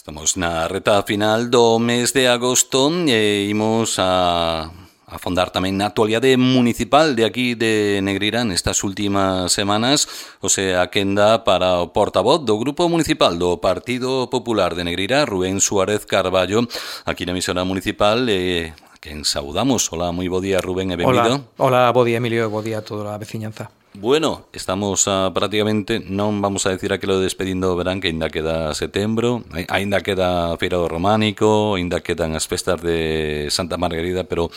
Estamos na reta final do mes de agosto e imos a afondar tamén na actualidade municipal de aquí de Negreira nestas últimas semanas, o sea, a quenda para o portavoz do Grupo Municipal do Partido Popular de Negreira, Rubén Suárez Carballo, aquí na emisora municipal, a quen saudamos. Hola, moi bo día, Rubén, e benvido. Hola, bo día, Emilio, e bo día a toda a veciñanza. Bueno, estamos prácticamente, non vamos a decir aquilo de despedindo o verán, que ainda queda setembro, ainda queda a Feira do Románico, ainda quedan as festas de Santa Margarida, pero,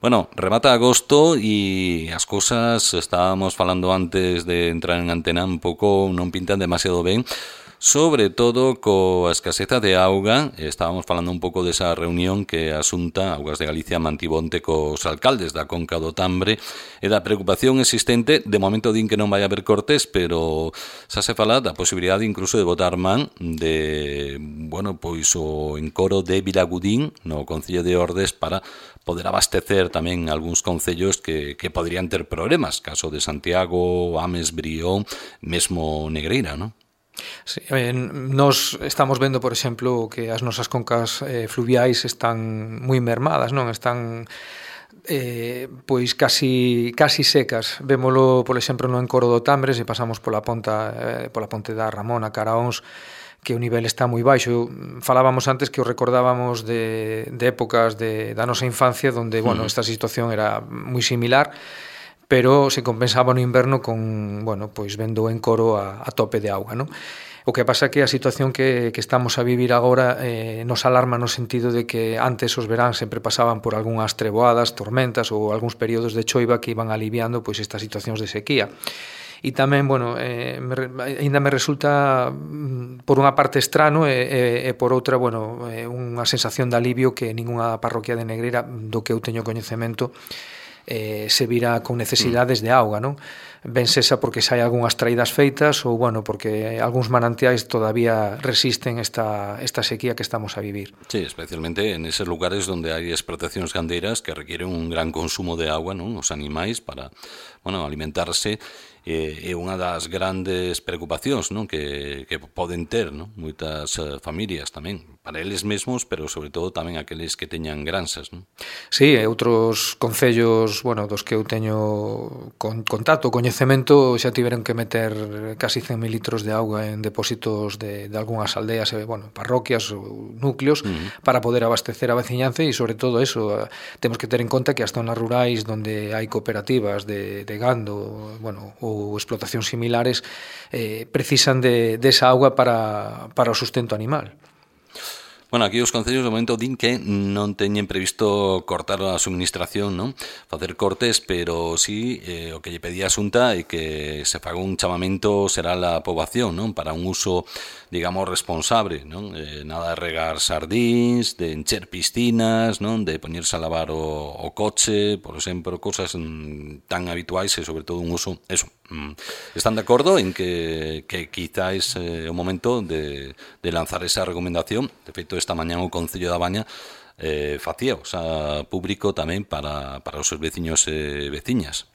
bueno, remata agosto e as cousas, estábamos falando antes de entrar en antena, un pouco non pintan demasiado ben, sobre todo coa escaseza de auga. Estábamos falando un pouco desa reunión que a Xunta Augas de Galicia mantibonte cos alcaldes da Conca do Tambre e da preocupación existente. De momento din que non vai haber cortes, pero xa se fala da posibilidade incluso de botar man de, bueno, pois o encoro de Vilagudín no Concello de Ordes para poder abastecer tamén algúns concellos que poderían ter problemas, caso de Santiago, Ames, Brión, mesmo Negreira, non? Sí, nos estamos vendo, por exemplo, que as nosas concas fluviais están moi mermadas, non? Están pois casi secas. Vémolo, por exemplo, no encoro do Tambre, se pasamos pola ponte da Ramona, Caraóns, que o nivel está moi baixo. Falábamos antes que o recordábamos de épocas da nosa infancia onde, bueno, esta situación era moi similar, pero se compensaba no inverno con, bueno, pois vendo o encoro a tope de auga, non? O que pasa é que a situación que estamos a vivir agora nos alarma no sentido de que antes os veráns sempre pasaban por algunhas treboadas, tormentas ou algúns períodos de choiva que iban aliviando pois estas situacións de sequía. E tamén, bueno, ainda me resulta por unha parte estrano e por outra, bueno, unha sensación de alivio que ningunha parroquia de Negreira do que eu teño coñecemento se vira con necesidades de auga, non? Ben sexa porque xa hai algunhas traídas feitas ou, bueno, porque algúns manantiais todavía resisten esta sequía que estamos a vivir. Sí, especialmente en eses lugares onde hai explotacións gandeiras que requieren un gran consumo de agua, non? Os animais para, bueno, alimentarse. É unha das grandes preocupacións, non? Que poden ter, non? Moitas familias tamén, para eles mesmos, pero sobre todo tamén aqueles que teñan granxas, non? Sí, outros concellos, bueno, dos que eu teño contacto, coñecemento, xa tiveron que meter casi 100.000 litros de auga en depósitos de algunhas aldeas, bueno, parroquias ou núcleos, para poder abastecer a veciñanza e, sobre todo, eso, temos que ter en conta que as zonas rurais onde hai cooperativas de gando, bueno, ou explotacións similares, precisan desa auga para o sustento animal. Bueno, aquí os concellos de momento din que non teñen previsto cortar a suministración, non? Facer cortes, pero sí, o que lle pedía a Xunta é que se faga un chamamento será a poboación, non? Para un uso, digamos, responsable, non? Nada de regar sardíns, de encher piscinas, non? De poñerse a lavar o coche, por exemplo, cosas tan habituais e, sobre todo, un uso, eso. Están de acordo en que quizás é o momento de lanzar esa recomendación. De feito, esta mañá o Concello da Baña facía, o sea, público tamén para os seus veciños e veciñas.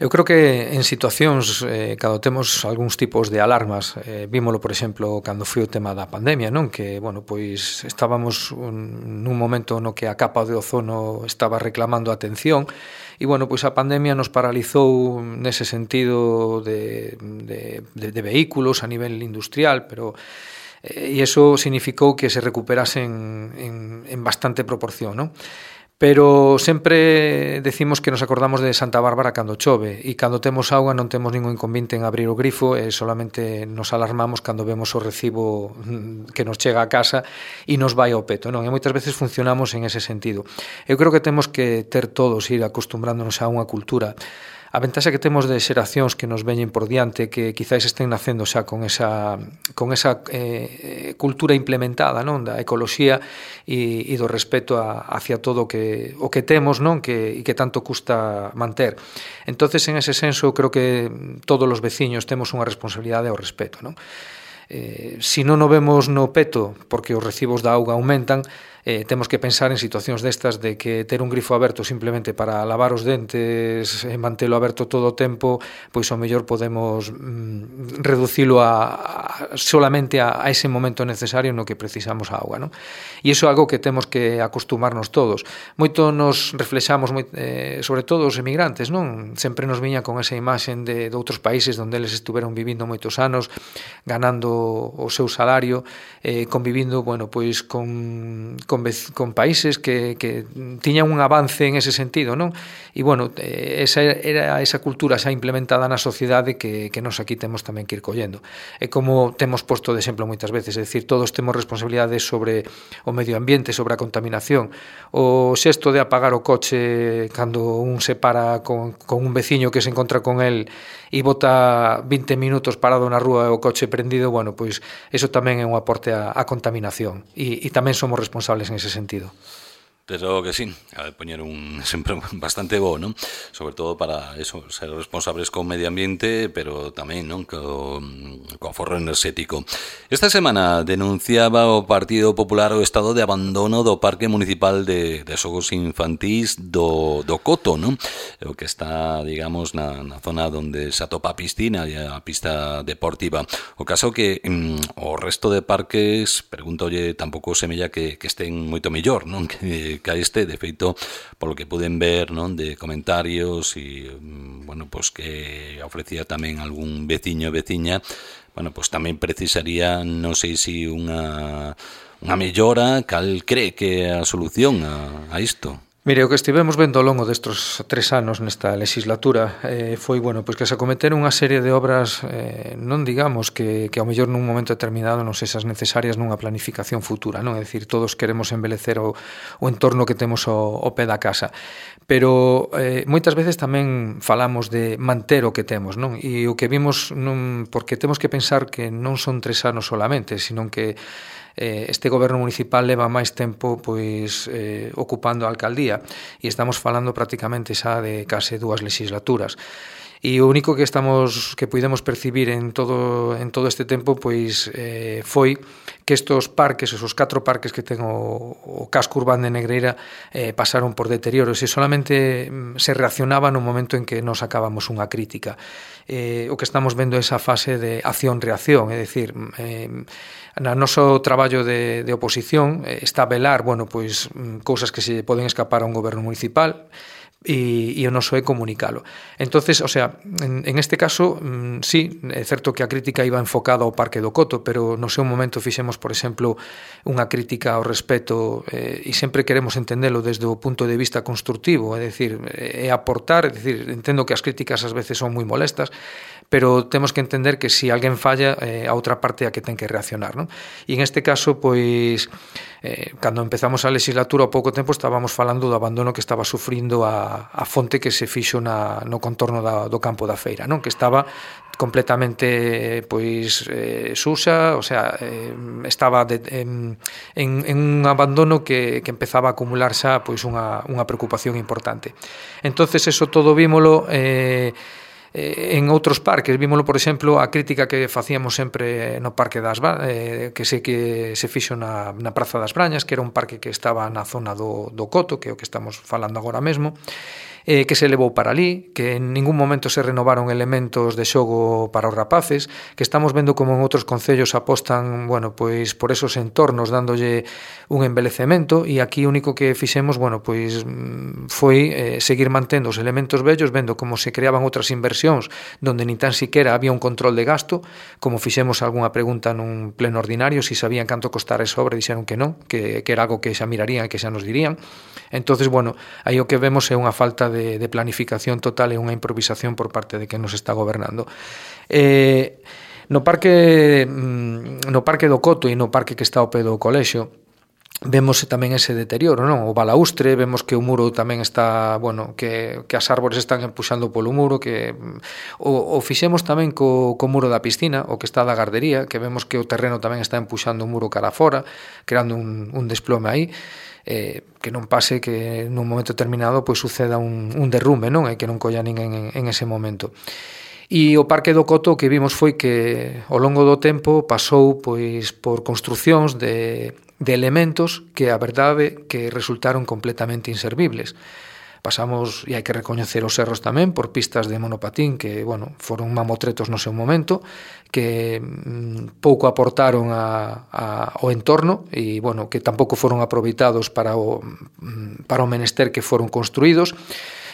Eu creo que en situacións cando temos algúns tipos de alarmas, vímolo, por exemplo, cando foi o tema da pandemia, non? Que, bueno, pois estábamos nun momento no que a capa de ozono estaba reclamando atención e, bueno, pois a pandemia nos paralizou nese sentido de vehículos a nivel industrial, pero e iso significou que se recuperasen en bastante proporción, non? Pero sempre decimos que nos acordamos de Santa Bárbara cando chove e cando temos auga non temos ningún inconveniente en abrir o grifo e solamente nos alarmamos cando vemos o recibo que nos chega a casa e nos vai ao peto, non? E moitas veces funcionamos en ese sentido. Eu creo que temos que ter todos ir acostumbrándonos a unha cultura. A ventaxa que temos de xeracións que nos veñen por diante, que quizáis estén nacendo xa con esa cultura implementada, non, da ecoloxía e do respeto hacia todo o que temos, non, e que tanto custa manter. Entonces, en ese senso, creo que todos os veciños temos unha responsabilidade ao respeto, non? Se non o vemos no peto porque os recibos da auga aumentan, temos que pensar en situacións destas de que ter un grifo aberto simplemente para lavar os dentes e mantelo aberto todo o tempo, pois ao mellor podemos reducilo solamente a ese momento necesario no que precisamos a auga, non? E iso é algo que temos que acostumarnos todos. Moito nos reflexamos, sobre todo os emigrantes, non? Sempre nos viña con esa imaxen de outros países onde eles estuveron vivindo moitos anos, ganando o seu salario, convivindo, bueno, pois con países que tiñan un avance en ese sentido, non? E, bueno, esa cultura xa implementada na sociedade que nos aquí temos tamén que ir collendo. É como temos posto de exemplo moitas veces, é dicir, todos temos responsabilidades sobre o medio ambiente, sobre a contaminación. O xesto de apagar o coche cando un se para con un veciño que se encontra con el e bota 20 minutos parado na rúa e o coche prendido, bueno, pois eso tamén é un aporte á contaminación e tamén somos responsables en ese sentido. Pero que sí, a ver, poñer un sempre bastante bo, non? Sobre todo para eso, ser responsables co medio ambiente, pero tamén, non, co aforro enerxético. Esta semana denunciaba o Partido Popular o estado de abandono do Parque Municipal de Xogos Infantís do Coto, non? O que está, digamos, na zona onde se atopa a piscina e a pista deportiva. O caso que o resto de parques, pregúntolle, tampouco semella que estén moito mellor, non? Que a este, de feito, polo que puden ver, non, de comentarios e, bueno, pues que ofrecía tamén algún veciño e veciña, bueno, pues tamén precisaría, non sei se unha mellora, cal cree que é a solución a isto? Mire, o que estivemos vendo ao longo destes 3 anos nesta legislatura foi, bueno, pois que se acometeron unha serie de obras, non digamos que ao mellor nun momento determinado non sexas necesarias nunha planificación futura, non? É dicir, todos queremos embelecer o entorno que temos ao pé da casa, pero moitas veces tamén falamos de manter o que temos, non? E o que vimos, porque temos que pensar que non son 3 anos solamente, sino que este goberno municipal leva máis tempo pois ocupando a alcaldía e estamos falando prácticamente xa de case 2 legislaturas. E o único que pudemos percibir en todo este tempo pois foi que estos parques, esos 4 parques que ten o casco urbano de Negreira pasaron por deterioros e solamente se reaccionaba no momento en que nos sacábamos unha crítica. O que estamos vendo é esa fase de acción-reacción, é dicir, no noso traballo de oposición está a velar, bueno, pois cousas que se poden escapar a un goberno municipal e o noso é comunicalo. Entonces, o sea, en este caso, sí, é certo que a crítica iba enfocada ao Parque do Coto, pero no seu momento fixemos, por exemplo, unha crítica ao respeto e sempre queremos entendelo desde o punto de vista constructivo, é dicir, é aportar, é dicir, entendo que as críticas ás veces son moi molestas, pero temos que entender que se alguén falla, a outra parte é a que ten que reaccionar, non? E en este caso, pois, cando empezamos a legislatura, ao pouco tempo estábamos falando do abandono que estaba sufrindo a fonte que se fixo no contorno do campo da feira, non? Que estaba completamente pois suxa, o sea, estaba en un abandono que empezaba a acumular xa pois unha preocupación importante. Entonces eso todo vímolo en outros parques, vímolo, por exemplo, a crítica que facíamos sempre no Parque das que se fixo na Praza das Brañas, que era un parque que estaba na zona do Coto, que é o que estamos falando agora mesmo, que se levou para ali, que en ningún momento se renovaron elementos de xogo para os rapaces, que estamos vendo como en outros concellos apostan, bueno, pois por esos entornos dándolle un embelecemento, e aquí o único que fixemos, bueno, pois foi seguir mantendo os elementos vellos, vendo como se creaban outras inversións donde nin tan siquera había un control de gasto, como fixemos algunha pregunta nun pleno ordinario, si sabían canto costara esa obra, dixeron que non, que era algo que xa mirarían e que xa nos dirían. Entonces, bueno, aí o que vemos é unha falta de planificación total e unha improvisación por parte de quen nos está gobernando. No parque do Coto e no parque que está ao pé do colexio vemos tamén ese deterioro, non? O balaustre, vemos que o muro tamén está, bueno, que as árbores están empuxando polo muro, que o fixemos tamén co muro da piscina, o que está da gardería, que vemos que o terreno tamén está empuxando o muro cara fora, creando un desplome aí. Que non pase que nun momento determinado pois suceda un derrume, non? E que non colla ninguén en ese momento. E o Parque do Coto o que vimos foi que ao longo do tempo pasou pois por construcións de de elementos que a verdade que resultaron completamente inservibles. Pasamos, e hai que recoñecer os erros tamén, por pistas de monopatín que, bueno, foron mamotretos no seu momento, que pouco aportaron ao entorno e, bueno, que tampouco foron aproveitados para o menester que foron construídos.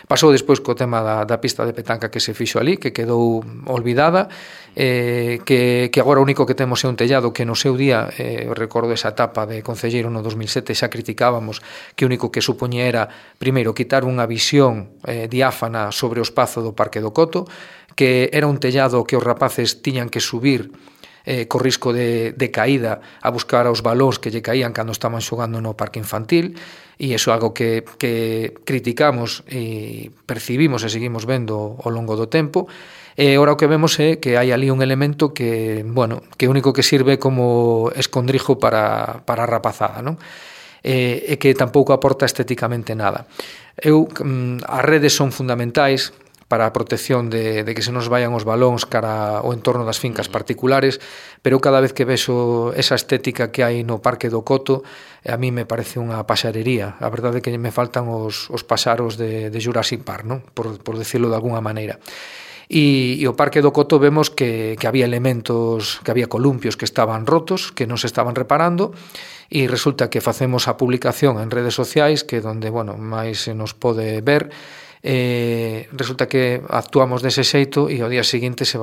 Pasou despois co tema da pista de petanca que se fixo ali, que quedou olvidada, que agora o único que temos é un tellado que no seu día, recordo esa etapa de concelleiro no 2007, xa criticábamos que o único que supoñía era, primeiro, quitar unha visión diáfana sobre o espazo do Parque do Coto, que era un tellado que os rapaces tiñan que subir co risco de caída a buscar os balóns que lle caían cando estaban xogando no parque infantil, e iso é algo que criticamos e percibimos e seguimos vendo ao longo do tempo. E ora o que vemos é que hai ali un elemento que, bueno, que o único que sirve como escondrijo para a rapazada, non? E que tampouco aporta estéticamente nada. As redes son fundamentais para a protección de que se nos vayan os balóns cara ao entorno das fincas particulares, pero cada vez que vexo esa estética que hai no Parque do Coto, a mí me parece unha paxarería. A verdade é que me faltan os paxaros de Jurassic Park, non? Por decirlo de alguna maneira. E o Parque do Coto vemos que había elementos, que había columpios que estaban rotos, que non se estaban reparando, e resulta que facemos a publicación en redes sociais, que donde, bueno, máis se nos pode ver, resulta que actuamos dese xeito e ao día seguinte se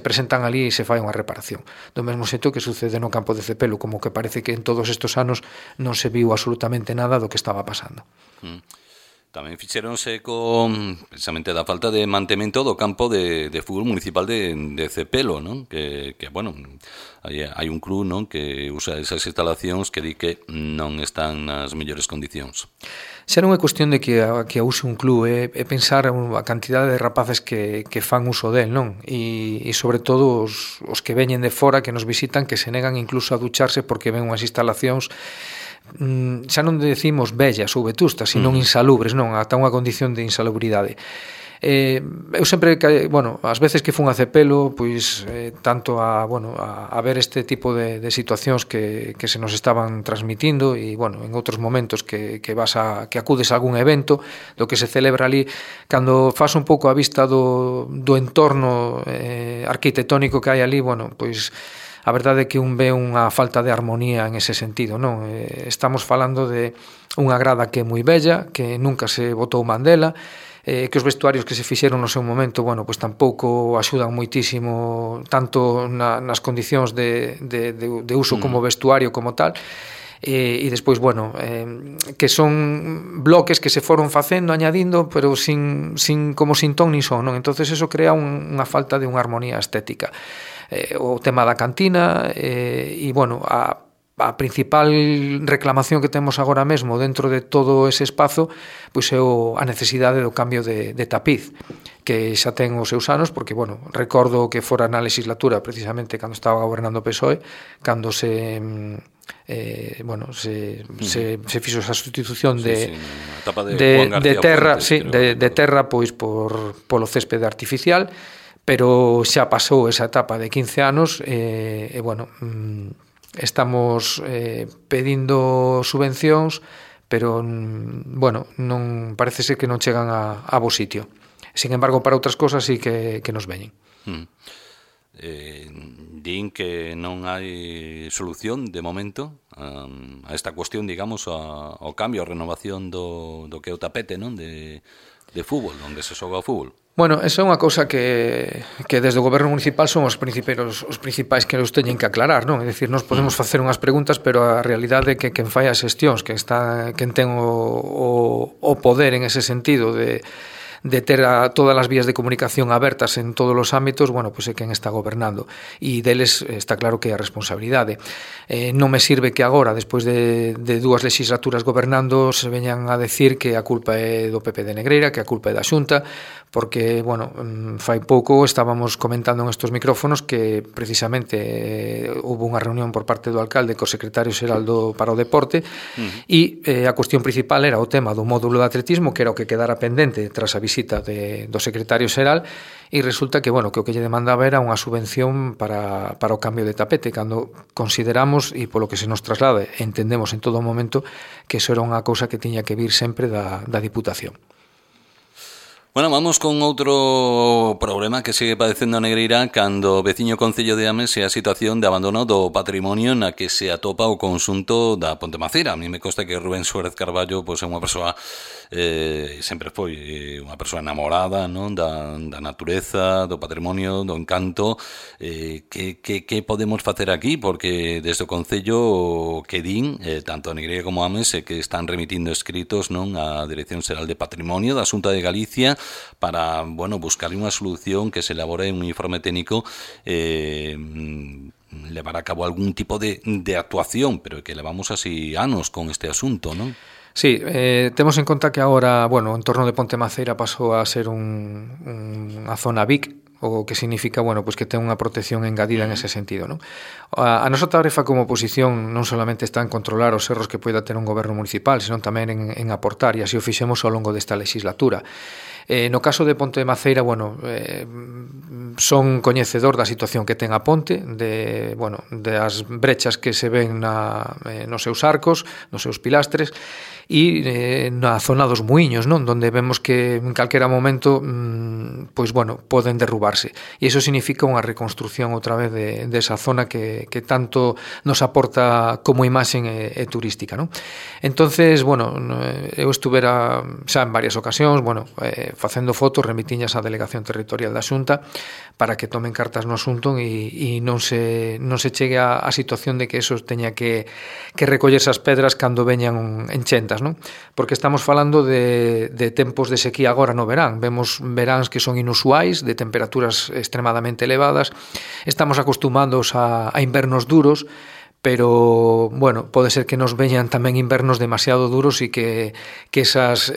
presentan ali e se fai unha reparación. Do mesmo xeito que sucede no campo de Cepelo, como que parece que en todos estes anos non se viu absolutamente nada do que estaba pasando. Tamén fixeronse precisamente da falta de mantemento do campo de fútbol municipal de Cepelo, non? Que bueno, hai un club, non, que usa esas instalacións que di que non están nas mellores condicións. Xa non é cuestión de que a use un club, é pensar a cantidade de rapaces que fan uso del, non? E sobre todo os que veñen de fora, que nos visitan, que se negan incluso a ducharse porque ven unhas instalacións xa non decimos vellas ou vetustas, sino insalubres, non, ata unha condición de insalubridade. Eu sempre, bueno, as veces que fun a Cepelo, pois tanto a ver este tipo de situacións que se nos estaban transmitindo e, bueno, en outros momentos que acudes a algún evento do que se celebra ali, cando fas un pouco a vista do entorno arquitectónico que hai ali, bueno, pois a verdade é que un ve unha falta de armonía en ese sentido, non? Estamos falando de unha grada que é moi bella, que nunca se botou man dela, que os vestuarios que se fixeron no seu momento, bueno, pois tampouco axudan moitísimo tanto nas condicións de uso como vestuario como tal. E despois, bueno, que son bloques que se foron facendo, añadindo, pero sin ton ni son, non? Entonces eso crea unha falta de unha armonía estética. O tema da cantina e, bueno, a principal reclamación que temos agora mesmo dentro de todo ese espazo, pois é a necesidade do cambio de tapiz, que xa ten os seus anos, porque, bueno, recordo que fora na legislatura, precisamente cando estaba gobernando o PSOE, cando se fixo esa sustitución de terra pois polo céspede artificial, pero xa pasou esa etapa de 15 anos e bueno, estamos pedindo subvencións, pero bueno, non parece ser que non chegan a bo sitio. Sin embargo, para outras cosas sí que nos veñen. Din que non hai solución de momento a esta cuestión, digamos, ao cambio, a renovación do que é o tapete, non, de fútbol, onde se xoga o fútbol. Bueno, esa é unha cousa que desde o goberno municipal son os principais que os teñen que aclarar, non? É dicir, nós podemos facer unhas preguntas, pero a realidade é que quen fai as xestións, quen ten o poder en ese sentido de ter todas as vías de comunicación abertas en todos os ámbitos, bueno, pois é quen está gobernando, e deles está claro que é a responsabilidade. Non me sirve que agora, despois de 2 legislaturas gobernando, se veñan a decir que a culpa é do PP de Negreira, que a culpa é da Xunta, porque, bueno, fai pouco estábamos comentando en estos micrófonos que precisamente houve unha reunión por parte do alcalde co secretario xeral para o deporte, e a cuestión principal era o tema do módulo de atletismo, que era o que quedara pendente tras a visita do secretario xeral e resulta que, bueno, que o que lle demandaba era unha subvención para o cambio de tapete, cando consideramos, e polo que se nos traslada, entendemos en todo momento que iso era unha cousa que tiña que vir sempre da Diputación. Bueno, vamos con outro problema que sigue padecendo a Negreira cando o veciño concello de Ames é a situación de abandono do patrimonio na que se atopa o conxunto da Ponte Macera. A mí me consta que Rubén Suárez Carballo é unha persoa sempre foi unha persoa enamorada, non, da natureza, do patrimonio, do encanto. Que podemos facer aquí? Porque desde o concello que din, tanto a Negreira como a Ames, que están remitindo escritos, non, á Dirección Xeral de Patrimonio da Xunta de Galicia para, bueno, buscar unha solución que se elabore un informe técnico levar a cabo algún tipo de actuación, pero que levamos así anos con este asunto, non? Sí, temos en conta que agora, bueno, o entorno de Ponte Maceira pasou a ser unha zona BIC, o que significa, bueno, pues que ten unha protección engadida en ese sentido, non? A nosa tarefa como oposición non solamente está en controlar os erros que poida ter un goberno municipal, senón tamén en aportar, e así o fixemos ao longo desta legislatura. No caso de Ponte de Maceira, bueno, son coñecedor da situación que ten a ponte, das brechas que se ven nos seus arcos, nos seus pilastres, e na zona dos muiños, non? Donde vemos que en calquera momento pois, bueno, poden derrubarse. E iso significa unha reconstrucción outra vez desa zona que tanto nos aporta como imaxen e turística, non? Entonces, bueno, eu estuvera xa en varias ocasións, bueno, facendo fotos, remitiñas á Delegación Territorial da Xunta para que tomen cartas no asunto e non se chegue a situación de que eso teña que recollerse as pedras cando veñan enchentas, non? Porque estamos falando de tempos de sequía agora no verán. Vemos veráns que son inusuais, de temperaturas extremadamente elevadas. Estamos acostumados a invernos duros, pero, bueno, pode ser que nos veñan tamén invernos demasiado duros e que esas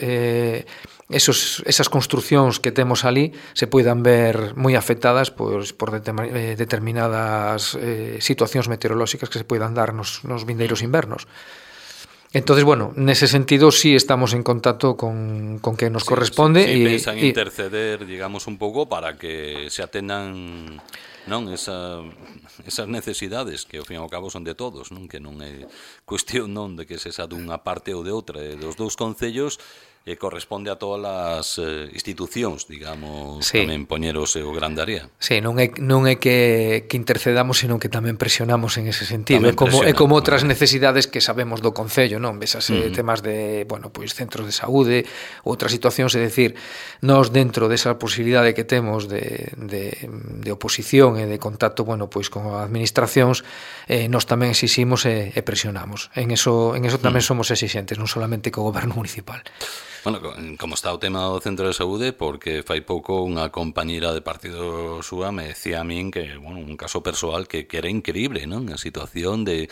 construcións que temos ali se poidan ver moi afectadas por determinadas situacións meteorolóxicas que se poidan dar nos vindeiros invernos. Entonces, bueno, nese sentido sí estamos en contacto con que nos corresponde. Sí, pensan interceder, digamos, un pouco para que se atendan, non, esas necesidades que ao fin e ao cabo son de todos, non, que non é cuestión, non, de que se xa dunha parte ou de outra, dos dous concellos corresponde a todas as institucións, digamos, sí, tamén poñer o seu gran área. Sí, non é que intercedamos, senón que tamén presionamos en ese sentido. É como outras necesidades que sabemos do concello, non? Vesase temas de, bueno, pois centros de saúde, outras situacións, é dicir, nós dentro desa posibilidade que temos de oposición e de contacto, bueno, pois con as administracións, nós tamén exiximos e presionamos. En eso tamén somos exixentes, non solamente co goberno municipal. Bueno, como está o tema do centro de saúde, porque fai pouco unha compañeira de partido súa me decía a min que, bueno, un caso persoal que era increíble, non? A situación de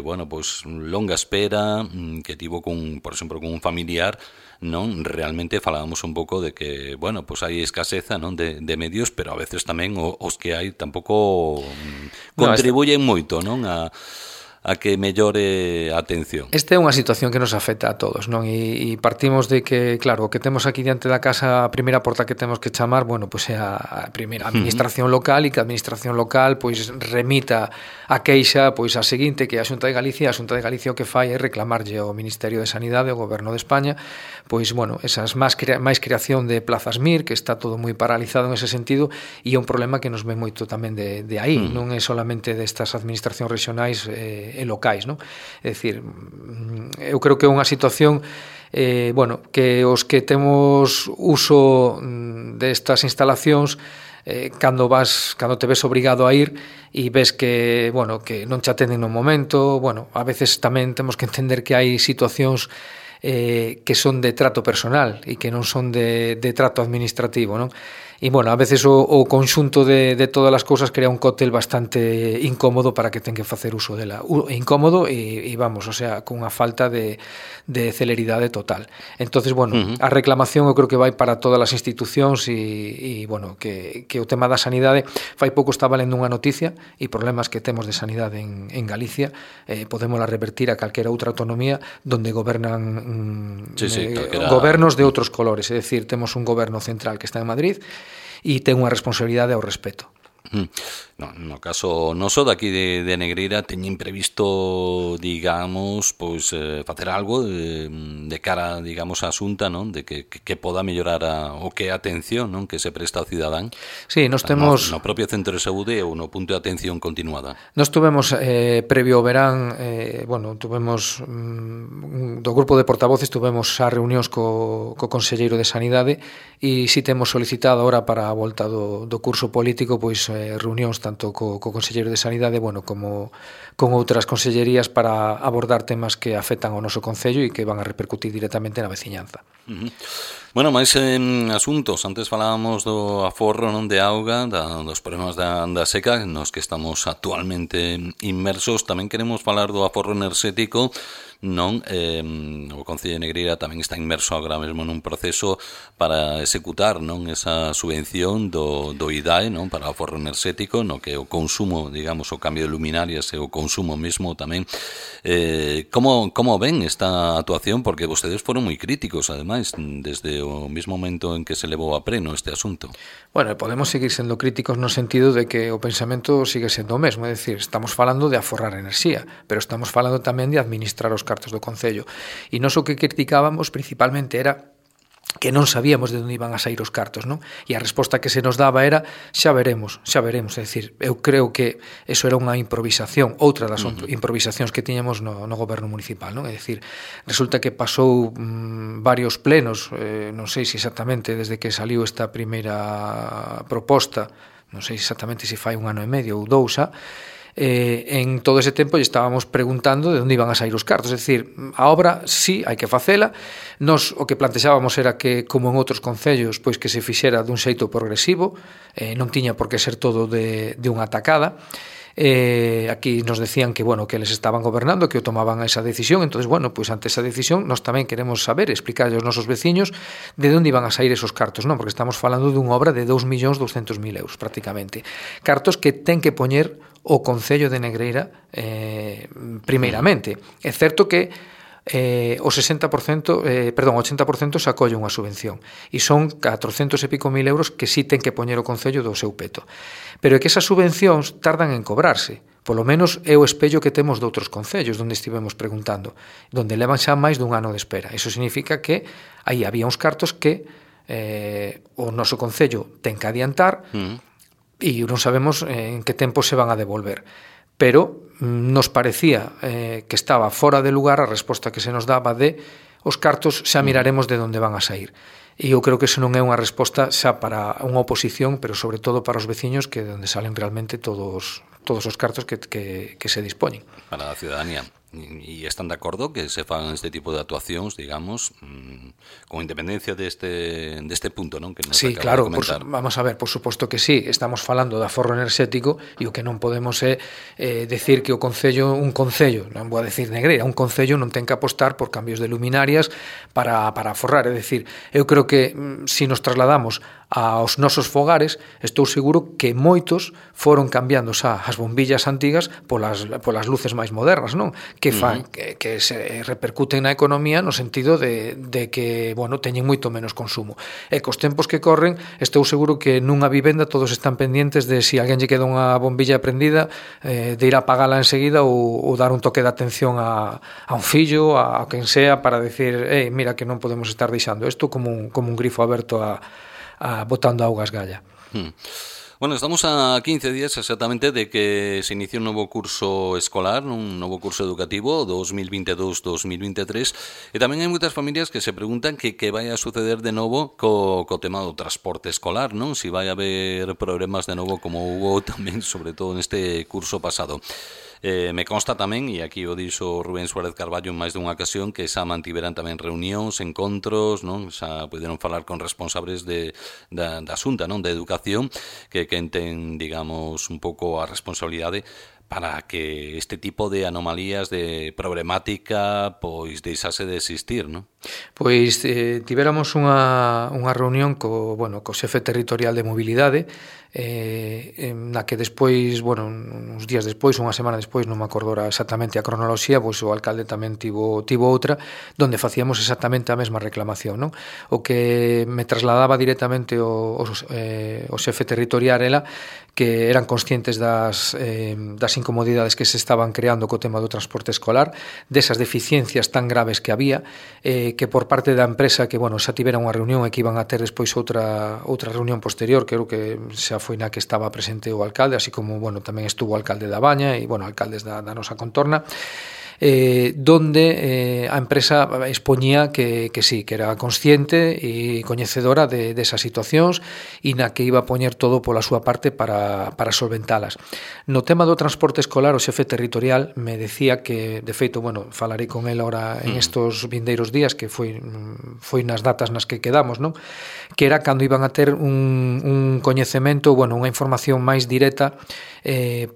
bueno, pois longa espera que tivo por exemplo, con un familiar, non? Realmente falábamos un pouco de que, bueno, pois hai escaseza, non, de medios, pero a veces tamén os que hai tampouco contribuyen moito, non, a que mellore a atención. Esta é unha situación que nos afecta a todos, non? E partimos de que, claro, o que temos aquí diante da casa, a primeira porta que temos que chamar, bueno, pois é a primeira administración local, e que a administración local pois remita a queixa pois a seguinte, que é a Xunta de Galicia. A Xunta de Galicia o que fai é reclamarlle ao Ministerio de Sanidade, ao Goberno de España, pois, bueno, esas máis creación de plazas MIR, que está todo moi paralizado en ese sentido, e é un problema que nos ve moito tamén de aí, non é solamente destas administracións regionais e locais, non? É dicir, eu creo que é unha situación bueno, que os que temos uso destas instalacións, cando te ves obrigado a ir e ves que, bueno, que non te atenden no momento, bueno, a veces tamén temos que entender que hai situacións que son de trato personal e que non son de trato administrativo, non? E, bueno, a veces o conxunto de todas as cousas crea un cóctel bastante incómodo para que ten que facer uso dela. Incómodo e vamos, o sea, cunha falta de celeridade total. Entonces, bueno, a reclamación eu creo que vai para todas as institucións e bueno, que o tema da sanidade, fai pouco estaba lendo unha noticia e problemas que temos de sanidade en Galicia, podémola revertir a calquera outra autonomía donde gobernan gobernos de outros colores, é dicir, temos un goberno central que está en Madrid e ten unha responsabilidade ao respeto. No caso noso daqui de Negreira teñen previsto, digamos, pois facer algo de cara, digamos, á Xunta, non? De que poda mellorar o que é a atención, non? Que se presta ao cidadán. Sí, nos temos no propio centro de saúde ou no punto de atención continuada. Nos tuvemos previo ao verán, bueno, tuvemos do grupo de portavoces tuvemos xa reunións co conselleiro de Sanidade e si temos solicitado ahora para a volta do curso político, pois reunións tanto co Conselleiro de Sanidade, bueno, como con outras consellerías para abordar temas que afectan ao noso concello e que van a repercutir directamente na veciñanza. Bueno, máis asuntos. Antes falábamos do aforro, non, de auga, dos problemas da seca nos que estamos actualmente inmersos. Tamén queremos falar do aforro enerxético, non? O Concello de Negreira tamén está inmerso agora mesmo nun proceso para executar, non, esa subvención do IDAE, non, para o aforro enerxético, no que o consumo, digamos, o cambio de luminarias e o consumo mesmo tamén. Como ven esta actuación? Porque vostedes foron moi críticos, ademais, desde o mismo momento en que se levou a pleno este asunto. Bueno, podemos seguir sendo críticos no sentido de que o pensamento sigue sendo o mesmo, é dicir, estamos falando de aforrar enerxía, pero estamos falando tamén de administrar os cartos do Concello. E nós o que criticábamos principalmente era que non sabíamos de onde iban a sair os cartos, non? E a resposta que se nos daba era xa veremos, é dicir, eu creo que eso era unha improvisación, outra das improvisacións que tiñamos no goberno municipal, non? É dicir, resulta que pasou varios plenos, non sei se exactamente desde que saliu esta primeira proposta, non sei exactamente se fai un ano e medio ou dous xa, en todo ese tempo lle estábamos preguntando de onde iban a sair os cartos, é dicir, a obra sí, hai que facela. Nos o que plantexábamos era que, como en outros concellos, pois que se fixera dun xeito progresivo, non tiña por que ser todo de unha tacada. Aquí nos decían que, bueno, que eles estaban gobernando, que o tomaban esa decisión. Entonces, bueno, pois ante esa decisión nós tamén queremos saber, explicarlle aos nosos veciños de onde iban a sair esos cartos, non? Porque estamos falando dunha obra de 2.200.000 euros prácticamente, cartos que ten que poñer o Concello de Negreira primeiramente. É certo que o 80% se acolle unha subvención e son 400 e pico mil euros que sí ten que poñer o Concello do seu peto, pero é que esas subvencións tardan en cobrarse. Polo menos é o espello que temos de outros concellos donde estivemos preguntando, donde levan xa máis dun ano de espera. Iso significa que aí había uns cartos que o noso concello ten que adiantar e non sabemos en que tempo se van a devolver. Pero nos parecía que estaba fora de lugar a resposta que se nos daba de os cartos xa miraremos de onde van a sair. E eu creo que eso non é unha resposta xa para unha oposición, pero sobre todo para os veciños, que de onde salen realmente todos os cartos que se dispoñen. Para a ciudadanía. E están de acordo que se fagan este tipo de actuacións, digamos, con independencia deste punto, non? Que nos sí, claro, vamos a ver, por suposto que sí, estamos falando de aforro enerxético e o que non podemos é decir que un concello, non vou a decir Negreira, un concello non ten que apostar por cambios de luminarias para aforrar, é dicir, eu creo que se nos trasladamos aos nosos fogares, estou seguro que moitos foron cambiando xa as bombillas antigas polas luces máis modernas, non? Que fan que se repercuten na economía no sentido de que, bueno, teñen moito menos consumo. E cos tempos que corren, estou seguro que nunha vivenda todos están pendientes de se alguén lle queda unha bombilla prendida, de ir a apagala enseguida ou dar un toque de atención a un fillo, a quen sea, para decir, mira que non podemos estar deixando isto como un grifo aberto botando auga a esgalla. Bueno, estamos a 15 días exactamente de que se inicie un novo curso escolar, un novo curso educativo 2022-2023, e tamén hai moitas familias que se preguntan que vai a suceder de novo co tema do transporte escolar, non? Si vai haber problemas de novo como hubo tamén, sobre todo neste curso pasado. Me consta tamén, e aquí o dixo Rubén Suárez Carballo en máis dunha ocasión, que xa mantiveran tamén reunións, encontros, non? Xa puderon falar con responsables da Xunta, non? De Educación, que ten, digamos, un pouco a responsabilidade para que este tipo de anomalías, de problemática, pois deixase de existir, non? Pois tivéramos unha reunión co xefe territorial de mobilidade, na que despois, uns días despois, unha semana despois, non me acordo exactamente a cronoloxía, pois o alcalde tamén tivo outra, donde facíamos exactamente a mesma reclamación, non? O que me trasladaba directamente o xefe territorial era que eran conscientes das incomodidades que se estaban creando co tema do transporte escolar, desas deficiencias tan graves que había, que por parte da empresa, que, xa tivera unha reunión e que iban a ter despois outra reunión posterior, creo que xa foi na que estaba presente o alcalde, así como, tamén estuvo o alcalde da Baña e, alcaldes da nosa contorna, donde a empresa expoñía que sí, que era consciente e coñecedora de esas situacións e na que iba a poñer todo pola súa parte para solventalas. No tema do transporte escolar, o xefe territorial me decía que, de feito, falarei con el ahora en estos vindeiros días, que foi nas datas nas que quedamos, non? Que era cando iban a ter un coñecemento, unha información máis directa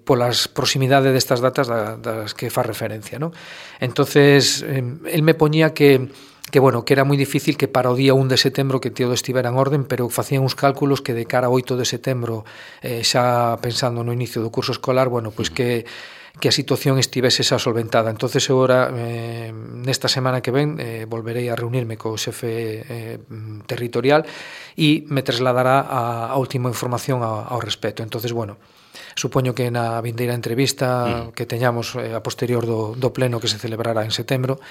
polas proximidades destas datas das que fa referencia, non? Entonces, el me poñía que era moi difícil que para o día 1 de setembro que todo estivera en orden, pero facían uns cálculos que de cara a 8 de setembro, xa pensando no inicio do curso escolar, que a situación estivese xa solventada. Entonces, agora, nesta semana que ven, volverei a reunirme co xefe territorial e me trasladará a última información ao respecto. Entonces, supoño que na vindeira entrevista que teñamos a posterior do pleno que se celebrará en setembro,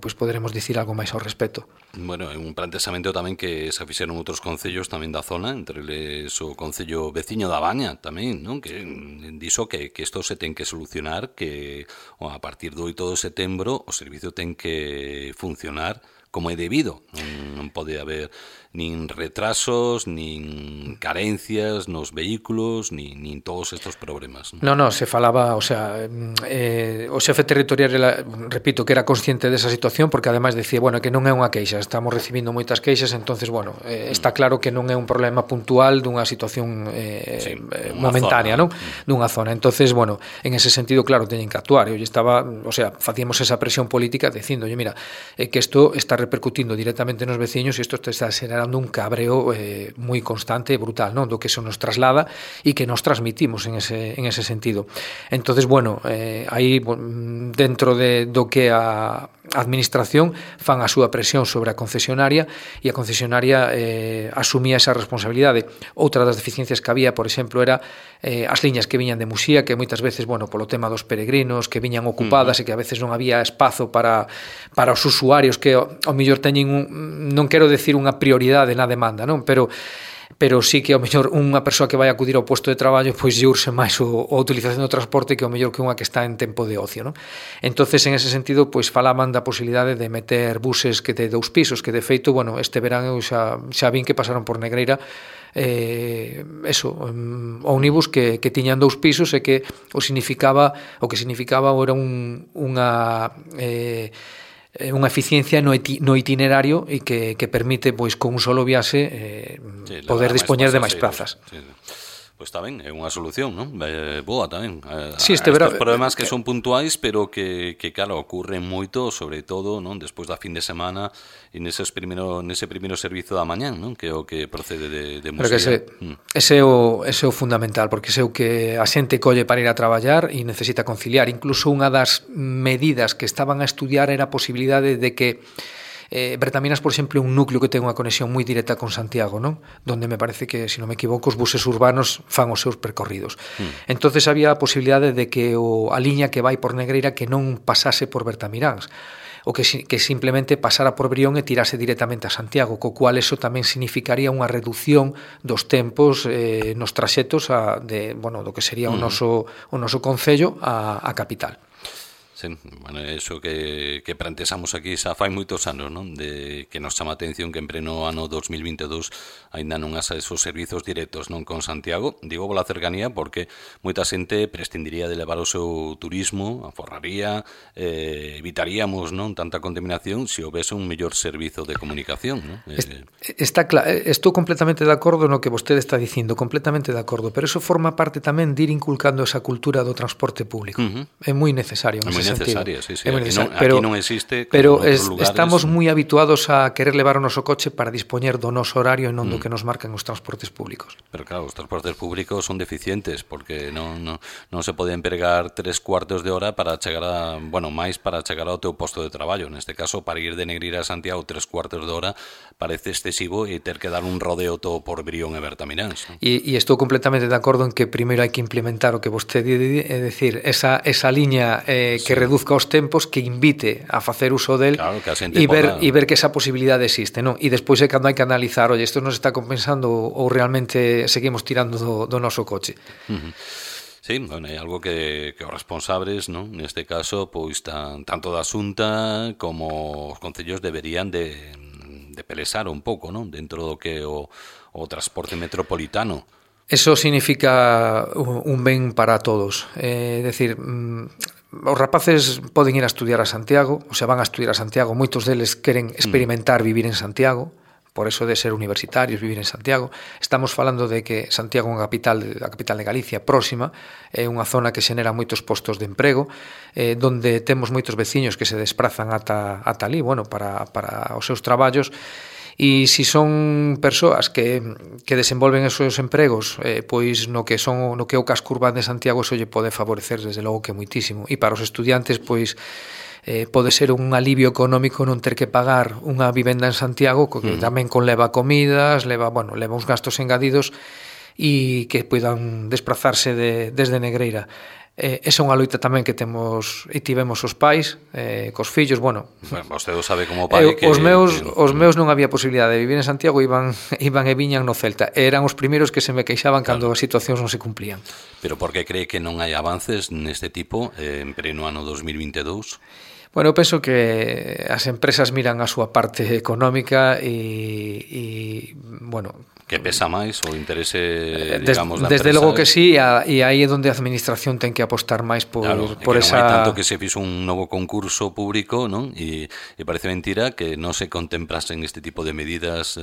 pois poderemos dicir algo máis ao respecto. É un planteamento tamén que se fixeron outros concellos tamén da zona, entre eles o concello veciño da Baña tamén, non? Que dixo que isto se ten que solucionar, que a partir do 8 de setembro o servizo ten que funcionar como é debido. Non pode haber nin retrasos, nin carencias nos vehículos, nin todos estos problemas. Non, se falaba, o xefe territorial, repito, que era consciente desa situación, porque ademais decía, que non é unha queixa, estamos recibindo moitas queixas, entonces, está claro que non é un problema puntual dunha situación momentánea, non? Dunha zona. Entonces, en ese sentido, claro, teñen que actuar. Eu estaba, facíamos esa presión política dicindo, mira, que isto está repercutindo directamente nos veciños e isto está xerando un cabreo moi constante e brutal, non? Do que se nos traslada e que nos transmitimos en ese sentido. Entonces, aí dentro do que a administración fan a súa presión sobre a concesionaria e a concesionaria asumía esa responsabilidade. Outra das deficiencias que había, por exemplo, era as liñas que viñan de Muxía, que moitas veces, polo tema dos peregrinos, que viñan ocupadas e que a veces non había espazo para os usuarios que ao mellor teñen non quero decir unha prioridade na demanda, non? Pero sí que ao mellor unha persoa que vai acudir ao posto de traballo pois lle urxe máis a utilización do transporte que ao mellor que unha que está en tempo de ocio, non? Entonces, en ese sentido, pois falaban da posibilidade de meter buses que de 2 pisos, que de feito, este verán eu xa vin que pasaron por Negreira ómnibus que tiñan 2 pisos e que o que significaba era unha eficiencia no itinerario e que permite, pois, con un solo viaxe poder dispoñer de máis plazas. Pois está ben, é unha solución, non? Boa tamén. Sí, estes problemas que son puntuais, pero que claro, ocurren moito, sobre todo, non? Despois da fin de semana e nese primeiro servizo da mañán, non? Que é o que procede de Muxía. Ese é o fundamental, porque ese é o que a xente colle para ir a traballar e necesita conciliar. Incluso unha das medidas que estaban a estudiar era a posibilidade de que Bertaminas, por exemplo, é un núcleo que ten unha conexión moi directa con Santiago, non? Donde me parece que, se non me equivoco, os buses urbanos fan os seus percorridos. Entonces había a posibilidade de que a liña que vai por Negreira que non pasase por Bertamiráns, o que simplemente pasara por Brión e tirase directamente a Santiago, co cual eso tamén significaría unha reducción dos tempos nos traxetos do que sería o noso concello a capital. Sí, bueno, eso que plantexamos aquí xa fai moitos anos, non? De que nos chama a atención que en pleno ano 2022 aínda non haxa esos servizos directos, non, con Santiago. Digo pola cercanía porque moita xente prescindiría de levar o seu turismo, aforraría, evitaríamos, non, tanta contaminación se houvese un mellor servizo de comunicación, non? Estou completamente de acordo no que vostede está dicindo, completamente de acordo, pero eso forma parte tamén de ir inculcando esa cultura do transporte público. É moi necesario. É moi necesaria, sí. Pero, aquí non existe, pero lugares, estamos moi habituados a querer levar o noso coche para dispoñer do noso horario e non do que nos marcan os transportes públicos. Pero claro, os transportes públicos son deficientes porque non se pode empregar 3/4 de hora para chegar máis para chegar ao teu posto de traballo. Neste caso, para ir de Negreira a Santiago 3/4 de hora parece excesivo e ter que dar un rodeo todo por Brión e Bertamiráns. E estou completamente de acordo en que primeiro hai que implementar o que vostede é dicir, esa liña que reduzca os tempos, que invite a facer uso del, claro, e ver que esa posibilidade existe, non? E despois é cando hai que analizar, oye, isto nos está compensando ou realmente seguimos tirando do noso coche. Sí, bueno, é algo que os responsables, non? Neste caso, pois tanto da Xunta como os concellos deberían de pelesar un pouco, non? Dentro do que o transporte metropolitano. Eso significa un ben para todos. É dicir, os rapaces poden ir a estudiar a Santiago, ou se van a estudiar a Santiago, moitos deles queren experimentar vivir en Santiago, por eso de ser universitarios, vivir en Santiago. Estamos falando de que Santiago é a capital de Galicia próxima, é unha zona que xenera moitos postos de emprego, donde temos moitos veciños que se desprazan ata ali, bueno, para os seus traballos. E se son persoas que desenvolven esos empregos, pois no que é o casco urbano de Santiago, eso lle pode favorecer desde logo que moitísimo. E para os estudiantes, pois pode ser un alivio económico non ter que pagar unha vivenda en Santiago, que tamén conleva comidas, leva uns gastos engadidos e que poidan desplazarse desde Negreira. Esa é unha loita tamén que temos e tivemos os pais cos fillos, bueno, vostede sabe como pai que os meus non había posibilidade de vivir en Santiago, iban e viñan no Celta, eran os primeiros que se me queixaban cando as situacións non se cumplían. Pero por que cree que non hai avances neste tipo en pleno ano 2022? Bueno, eu penso que as empresas miran a súa parte económica e bueno, que pesa máis o interese, digamos, da desde empresa. logo que sí, e aí é onde a administración ten que apostar máis por esa... Non hai tanto que se fixo un novo concurso público, non? E parece mentira que non se contemplasen este tipo de medidas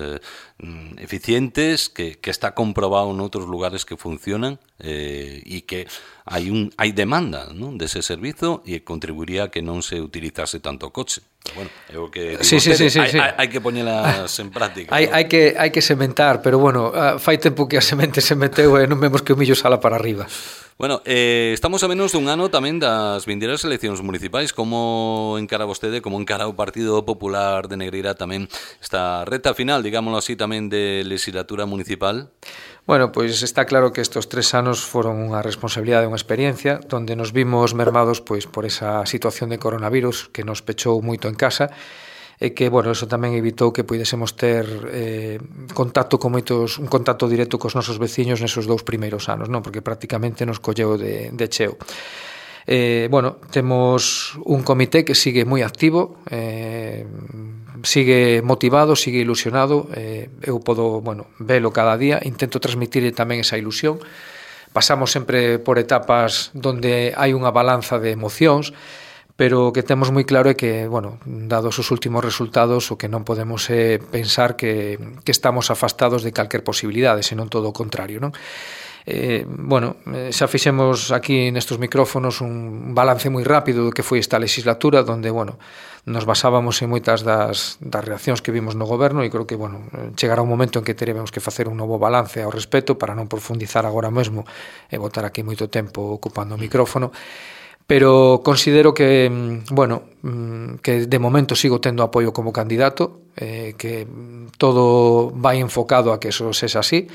eficientes, que está comprobado noutros lugares que funcionan e que hai demanda, non, dese servizo e contribuiría a que non se utilizase tanto o coche. Bueno, é o que digo, sí. hai que poñelas en práctica. Hai que sementar, pero bueno, fai tempo que a semente se meteu e non vemos que o millo sala para arriba. Bueno, estamos a menos dun ano tamén das vindeiras eleccións municipais. Como encara vostede, como encara o Partido Popular de Negreira tamén esta reta final, digámoslo así, tamén de legislatura municipal? Bueno, pois está claro que estes 3 anos foron unha responsabilidade, unha experiencia, donde nos vimos mermados pois por esa situación de coronavirus que nos pechou moito en casa, e que, bueno, eso tamén evitou que puidésemos ter un contacto directo cos nosos veciños nesos 2 primeiros anos, non? Porque prácticamente nos colleu de cheo. Bueno, temos un comité que sigue moi activo, sigue motivado, sigue ilusionado, eu podo, velo cada día, intento transmitir tamén esa ilusión. Pasamos sempre por etapas donde hai unha balanza de emocións, pero o que temos moi claro é que, dados os últimos resultados, o que non podemos é pensar que estamos afastados de calquer posibilidade, senón todo o contrario, non? Xa fixemos aquí nestes micrófonos un balance moi rápido do que foi esta legislatura, donde, nos basábamos en moitas das reaccións que vimos no goberno e creo que, chegará un momento en que teremos que facer un novo balance ao respecto para non profundizar agora mesmo e botar aquí moito tempo ocupando o micrófono. Pero considero que, que de momento sigo tendo apoio como candidato, que todo vai enfocado a que eso sexa así,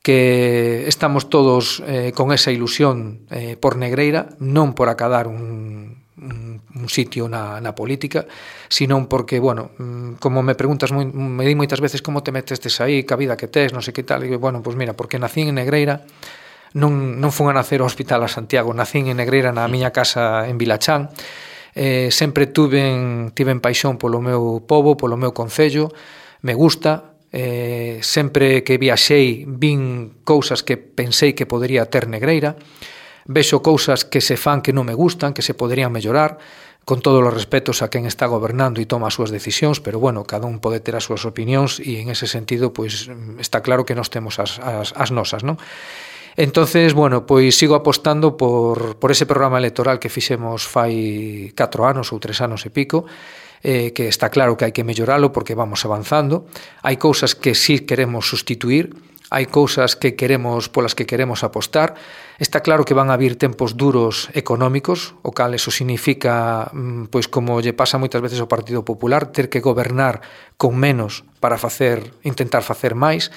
que estamos todos con esa ilusión por Negreira, non por acadar un sitio na política, sino porque, como me preguntas, me di moitas veces como te metestes aí, que a vida que tes, non sei que tal, e digo, pois mira, porque nací en Negreira, non fun a nacer ao Hospital a Santiago, nacín en Negreira na miña casa en Vilachán. Sempre tiven paixón polo meu pobo, polo meu concello, me gusta. Sempre que viaxei vin cousas que pensei que podería ter Negreira, vexo cousas que se fan que non me gustan, que se poderían mellorar, con todos os respetos a quen está gobernando e toma as súas decisións, pero bueno, cada un pode ter as súas opinións e en ese sentido pois está claro que nós temos as nosas, non? Entonces, bueno, pois sigo apostando por ese programa electoral que fixemos fai 4 anos ou 3 anos e pico, que está claro que hai que melloralo porque vamos avanzando. Hai cousas que sí queremos sustituir, hai cousas que polas que queremos apostar. Está claro que van a vir tempos duros económicos, o cal eso significa, pois como lle pasa moitas veces ao Partido Popular, ter que gobernar con menos para intentar facer máis,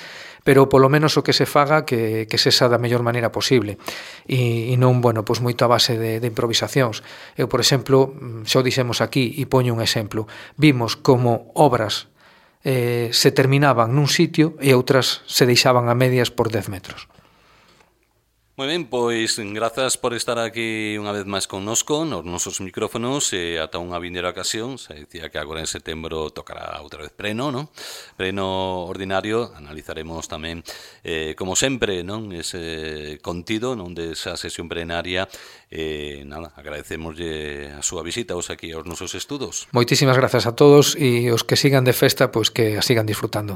pero polo menos o que se faga que sexa da mellor maneira posible e non, bueno, pois moito a base de improvisacións. Eu, por exemplo, xa o dixemos aquí e poño un exemplo, vimos como obras se terminaban nun sitio e outras se deixaban a medias por 10 metros. Moi ben, pois grazas por estar aquí unha vez máis connosco nos nosos micrófonos e ata unha vindeira ocasión. Se dicía que agora en setembro tocará outra vez pleno, non? Pleno ordinario, analizaremos tamén, como sempre, non, ese contido non desa sesión plenaria. Nada, agradecemoslle a súa visita aquí aos nosos estudos. Moitísimas grazas a todos e os que sigan de festa, pois que a sigan disfrutando.